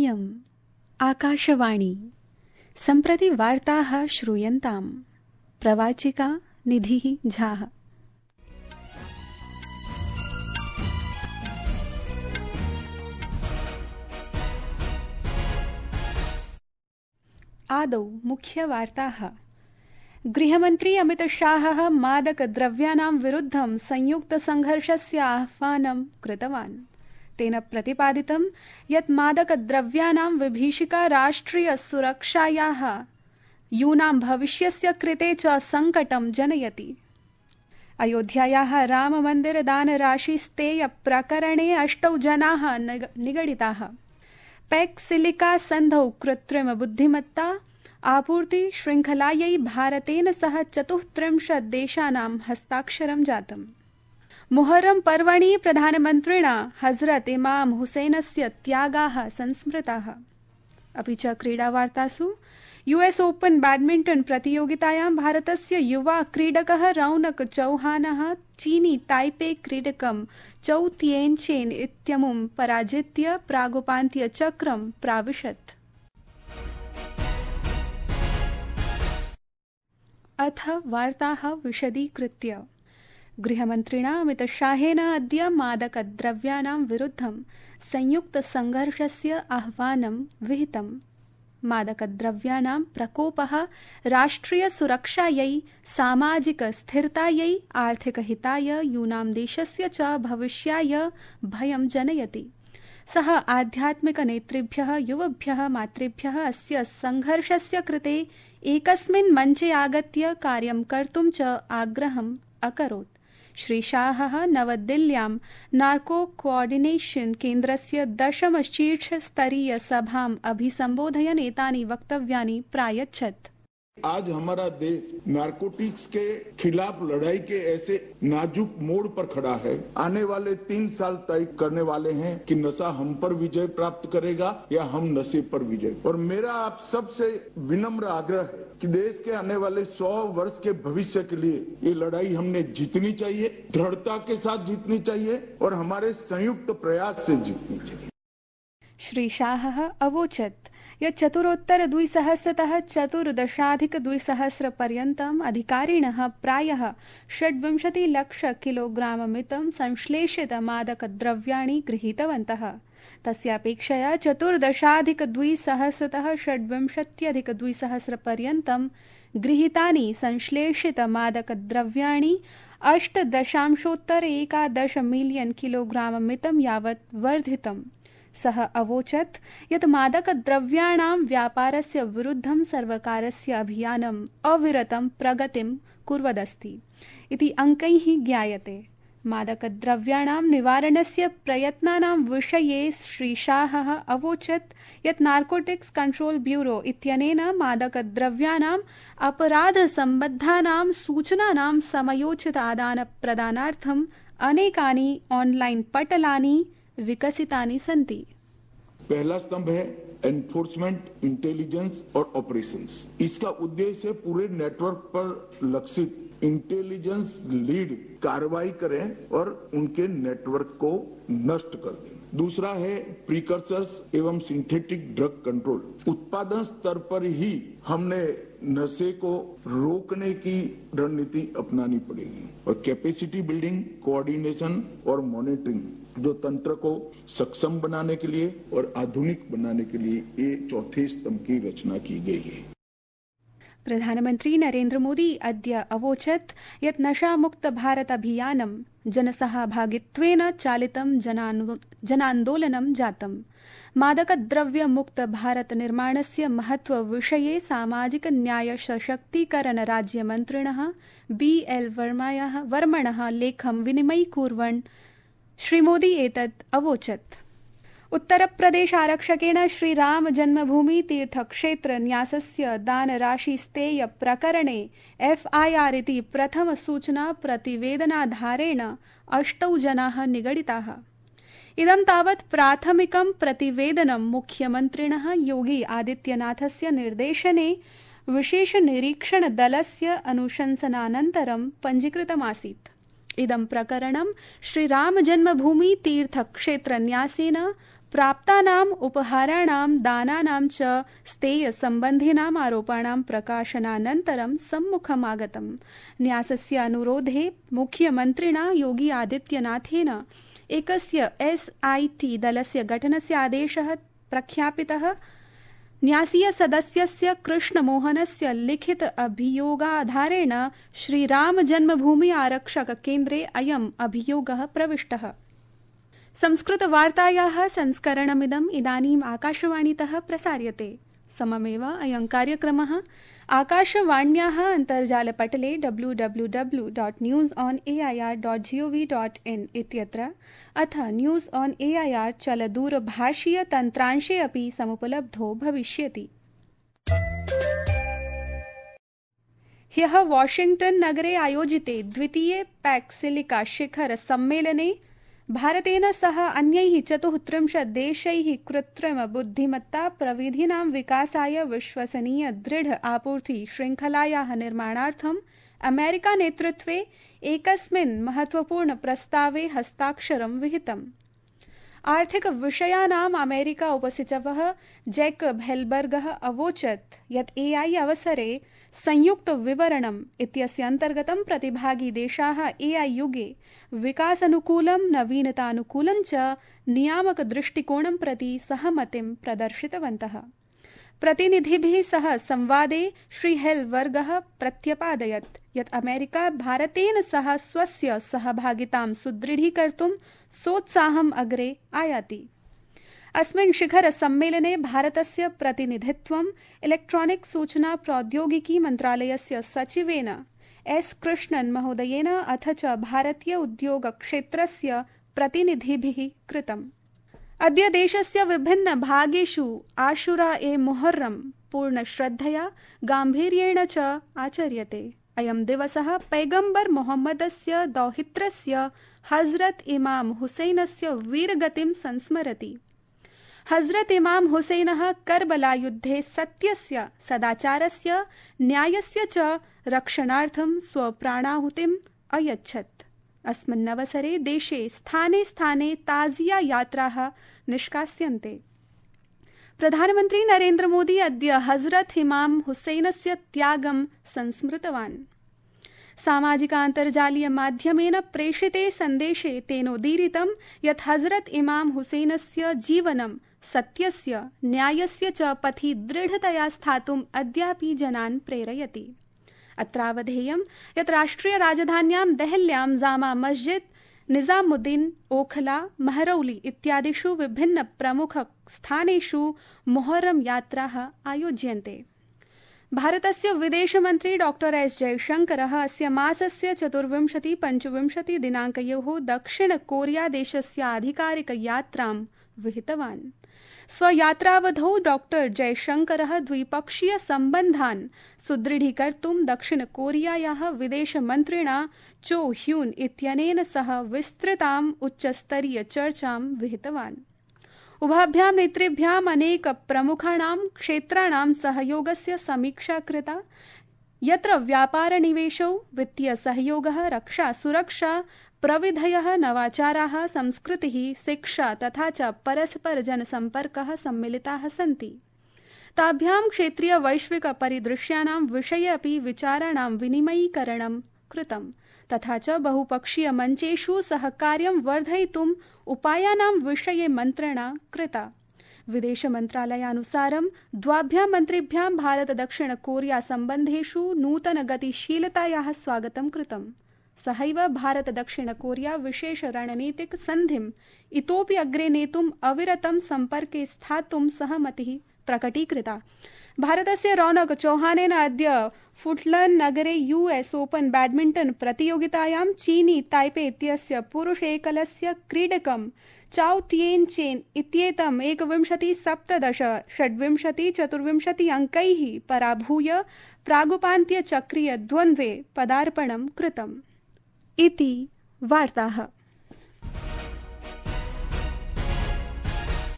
इयम् आकाशवाणी सम्प्रति वार्ताः श्रूयन्ताम्। प्रवाचिका निधिः झाः। आदौ मुख्यवार्ताः। गृहमन्त्री अमितशाहः मादकद्रव्याणां विरुद्धं संयुक्तसङ्घर्षस्य आह्वानं कृतवान्। तेन प्रतिपादितं यत् मादकद्रव्याणां विभीषिका राष्ट्रियसुरक्षायाः यूनां भविष्यस्य कृते च सङ्कटं जनयति। अयोध्यायाः राममन्दिरदानराशिस्तेयप्रकरणे 8 जनाः निगडिताः। पैक्सिलिका सन्धौ कृत्रिमबुद्धिमत्ता आपूर्ति शृङ्खलायै भारतेन सह 34 देशानां हस्ताक्षरं जातम्। मुहर्रम पर्वणि प्रधानमन्त्रिणा हजरत इमाम हुसैनस्य त्यागाः संस्मृताः। अपि च क्रीडावार्तासु US ओपन बैडमिण्टन प्रतियोगितायां भारतस्य युवा क्रीडकः रौनक चौहानः चीनी ताइपे क्रीडकं चौ तिएनचेन इत्यमुं पराजित्य प्रागुपान्त्यचक्रं प्राविशत्। अथ वार्ताः विशदीकृत्य। गृहमन्त्रिणा अमितशाहेन अद्य मादकद्रव्याणां विरुद्धं संयुक्तसङ्घर्षस्य आह्वानं विहितम्। मादकद्रव्याणां प्रकोपः राष्ट्रियसुरक्षायै, सामाजिकस्थिरतायै, आर्थिकहिताय, यूनां देशस्य च भविष्याय भयं जनयति। सः आध्यात्मिकनेतृभ्यः, युवभ्यः, मातृभ्यः अस्य सङ्घर्षस्य कृते एकस्मिन् मञ्चे आगत्य कार्यं कर्तुं च आग्रहम् अकरोत्। श्री शाहः नवदिल्ल्यां नार्को कोऑर्डिनेशन केन्द्रस्य 10 शीर्षस्तरीयसभाम् अभिसम्बोधयन् एतानि वक्तव्यानि प्रायच्छत्। आज हमारा देश नार्कोटिक्स के खिलाफ लड़ाई के ऐसे नाजुक मोड़ पर खड़ा है। आने वाले 3 साल तय करने वाले हैं कि नशा हम पर विजय प्राप्त करेगा या हम नशे पर विजय। और मेरा आप सबसे विनम्र आग्रह है कि देश के आने वाले 100 वर्ष के भविष्य के लिए ये लड़ाई हमने जीतनी चाहिए, दृढ़ता के साथ जीतनी चाहिए और हमारे संयुक्त प्रयास से जीतनी चाहिए। श्री शाहः अवोचत् यत् चतुरोत्तर 2000तः 14,200 पर्यन्तम् अधिकारिणः प्रायः 26 लाख किलोग्राममितं संश्लेषित मादकद्रव्याणि गृहीतवन्तः। तस्यापेक्षया 14,200तः 26,200 पर्यन्तं गृहीतानि संश्लेषित मादकद्रव्याणि 8.11 मिलियन किलोग्राममितं यावत् वर्धितम्। सः अवोचत् यत् मादकद्रव्याणां व्यापारस्य विरुद्धं सर्वकारस्य अभियानम् अविरतं प्रगतिं कुर्वदस्ति इति अङ्कैः ज्ञायते। मादकद्रव्याणां निवारणस्य प्रयत्नानां विषये श्रीशाहः अवोचत् यत् नार्कोटिक्स कंट्रोल ब्यूरो इत्यनेन मादकद्रव्याणाम् अपराधसम्बद्धानां सूचनानां समयोचित आदानप्रदानार्थम् अनेकानि ऑनलाइन पटलानि विकसितानि सन्ति। पहला स्तंभ है एनफोर्समेंट, इंटेलिजेंस और ऑपरेशंस। इसका उद्देश्य पूरे नेटवर्क पर लक्षित इंटेलिजेंस लीड कार्रवाई करें और उनके नेटवर्क को नष्ट कर दें। दूसरा है प्रीकर्सर्स एवं सिंथेटिक ड्रग कंट्रोल। उत्पादन स्तर पर ही हमने नशे को रोकने की रणनीति अपनानी पड़ेगी और कैपेसिटी बिल्डिंग, कोऑर्डिनेशन और मॉनिटरिंग जो तंत्र को सक्षम बनाने के लिए और आधुनिक बनाने के लिए ये चौथे स्तंभ की रचना की गई है। प्रधानमन्त्री नरेन्द्र मोदी अद्य अवोचत् यत् नशामुक्त भारत अभियानं जनसहभागित्वेन चालितं जनान्दोलनं जातम्। मादकद्रव्यमुक्त भारत निर्माणस्य महत्वविषये सामाजिक न्याय सशक्तीकरण राज्यमन्त्रिणः BL वर्मणः लेखं विनिमयीकुर्वन् श्रीमोदी एतत् अवोचत्। उत्तरप्रदेश आरक्षकेण श्रीराम जन्मभूमि तीर्थक्षेत्र न्यासस्य दानराशिस्तेय प्रकरणे FIR इति प्रथमसूचना प्रतिवेदनाधारेण 8 जनाः निगडिताः। इदं तावत् प्राथमिकं प्रतिवेदनं मुख्यमन्त्रिणः योगी आदित्यनाथस्य निर्देशने विशेषनिरीक्षणदलस्य अनुशंसनानन्तरं पञ्जीकृतमासीत्। इदं प्रकरणं श्रीरामजन्मभूमि तीर्थक्षेत्रन्यासेन प्राप्तानाम् उपहाराणां दानानां च स्तेयसम्बन्धिनाम् आरोपाणां प्रकाशनानन्तरं सम्मुखमागतम्। न्यासस्य अनुरोधे मुख्यमन्त्रिणा योगी आदित्यनाथेन एकस्य SIT दलस्य गठनस्य आदेशः प्रख्यापितः। न्यासीय सदस्यस्य कृष्णमोहनस्य लिखित अभियोगाधारेण श्रीराम जन्मभूमि आरक्षक केन्द्रे अयम् अभियोगः प्रविष्टः। संस्कृतवार्तायाः संस्करणमिदम् इदानीम् आकाशवाणीतः प्रसार्यते। सममेव अयं कार्यक्रमः आकाशवाण्याः अन्तर्जालपटले www.newsonair.gov.in इत्यत्र अथ न्यूज़ ऑन AIR चलदूरभाषीय तन्त्रांशे अपि समुपलब्धो भविष्यति। ह्यः वाशिंग्टन नगरे आयोजिते द्वितीये पैक्सिलिका शिखर सम्मेलने भारतेन सह अन्यैः 34 देशैः कृत्रिम बुद्धिमत्ता प्रविधीनां विकासाय विश्वसनीय दृढ आपूर्ति श्रृंखलायाः निर्माणार्थम् अमेरिका नेतृत्वे एकस्मिन् महत्वपूर्ण प्रस्तावे हस्ताक्षरं विहितम्। आर्थिक विषयानाम् अमेरिका उपसचिवः जैकब हेल्बर्गः अवोचत् यत् AI अवसरे संयुक्त विवरणम् इत्यस्य अन्तर्गतं प्रतिभागी देशाः AI युगे विकासानुकूलं नवीनतानुकूलं च नियामक दृष्टिकोणं प्रति सहमतिं प्रदर्शितवन्तः। प्रतिनिधिभिः सह संवादे श्री हेल्बर्गः प्रत्यपादयत् यत् अमेरिका भारतेन सह स्वस्य सहभागितां सुदृढीकर्तुं सोत्साहम् अग्रे आयाति। अस्मिन् शिखर सम्मेलने भारतस्य प्रतिनिधित्वम् इलेक्ट्रॉनिक सूचना प्रौद्योगिकी मन्त्रालयस्य सचिवेन S कृष्णन् महोदयेन अथ च भारतीय उद्योग क्षेत्रस्य प्रतिनिधिभिः कृतम्। अद्य देशस्य विभिन्न भागेषु आशुरा ए मुहर्रम पूर्ण श्रद्धया गाम्भीर्येण च आचर्यते। अयं दिवसः पैगम्बर मोहम्मदस्य दौहित्रस्य हजरत इमाम हुसैनस्य वीरगतिं संस्मरति। हजरत इमाम हुसैनः करबला युद्धे सत्यस्य, सदाचारस्य, न्यायस्य च रक्षणार्थं स्वप्राणाहुतिम् अयच्छत्। अस्मिन्नवसरे देशे स्थाने स्थाने ताजिया यात्राः निष्कास्यन्ते। प्रधानमन्त्री नरेन्द्र मोदी अद्य हजरत इमाम हुसैनस्य त्यागं संस्मृतवान्। सामाजिकान्तर्जालीय माध्यमेन प्रेषिते सन्देशे तेनोदीरितं यत् हजरत इमाम हुसैनस्य जीवनं सत्यस्य, न्यायस्य च पथि दृढतया स्थातुम् अद्यापि जनान् प्रेरयति। अत्रावधेयं यत् राष्ट्रिय राजधान्यां देहल्यां जामा मस्जिद, निजामुद्दीन, ओखला, महरौली इत्यादिषु विभिन्न प्रमुख स्थानेषु मोहर्रम यात्राः आयोज्यन्ते। भारतस्य विदेशमन्त्री डॉक्टर S जयशंकरः अस्य मासस्य 24-25 दिनाङ्कयोः दक्षिण कोरिया देशस्य आधिकारिक यात्रां विहितवान्। स्वयात्रावधौ डॉक्टर जयशंकरः द्विपक्षीय सम्बन्धान् सुदृढीकर्तुं दक्षिण कोरियायाः विदेशमन्त्रिणा चो ह्यून इत्यनेन सह विस्तृताम् उच्चस्तरीय चर्चां विहितवान्। उभाभ्यां नेतृभ्याम् अनेक प्रमुखाणां क्षेत्राणां सहयोगस्य समीक्षा कृता, यत्र व्यापार निवेशौ, वित्तीय सहयोगः, रक्षा सुरक्षा, प्रविधयः, नवाचाराः, संस्कृतिः, शिक्षा तथा च परस्पर जनसम्पर्कः सम्मिलिताः सन्ति। ताभ्यां क्षेत्रीय वैश्विक परिदृश्यानां विषये अपि विचाराणां विनिमयीकरणं कृतम्, तथा च बहुपक्षीय मञ्चेषु सहकार्यं वर्धयितुम् उपायानां विषये मन्त्रणा कृता। विदेशमन्त्रालयानुसारं द्वाभ्यां मन्त्रिभ्यां भारत दक्षिण कोरिया सम्बन्धेषु नूतन गतिशीलतायाः स्वागतं कृतम्। सहैव भारत दक्षिण कोरिया विशेष रणनीतिक सन्धिम् इतोपि अग्रे नेतुम् अविरतं सम्पर्के स्थातुं सहमतिः प्रकटीकृता। भारतस्य रौनक चौहानेन अद्य फुटलन नगरे US ओपन बैडमिंटन प्रतियोगितायां चीनी ताइपे इत्यस्य पुरुष एकलस्य क्रीडकं चाओ टिएन चेन इत्येतम् 21-17, 26-24 अङ्कैः पराभूय प्रागुपान्त्यचक्रीय द्वन्द्वे पदार्पणं कृतम्। इति वार्ताः।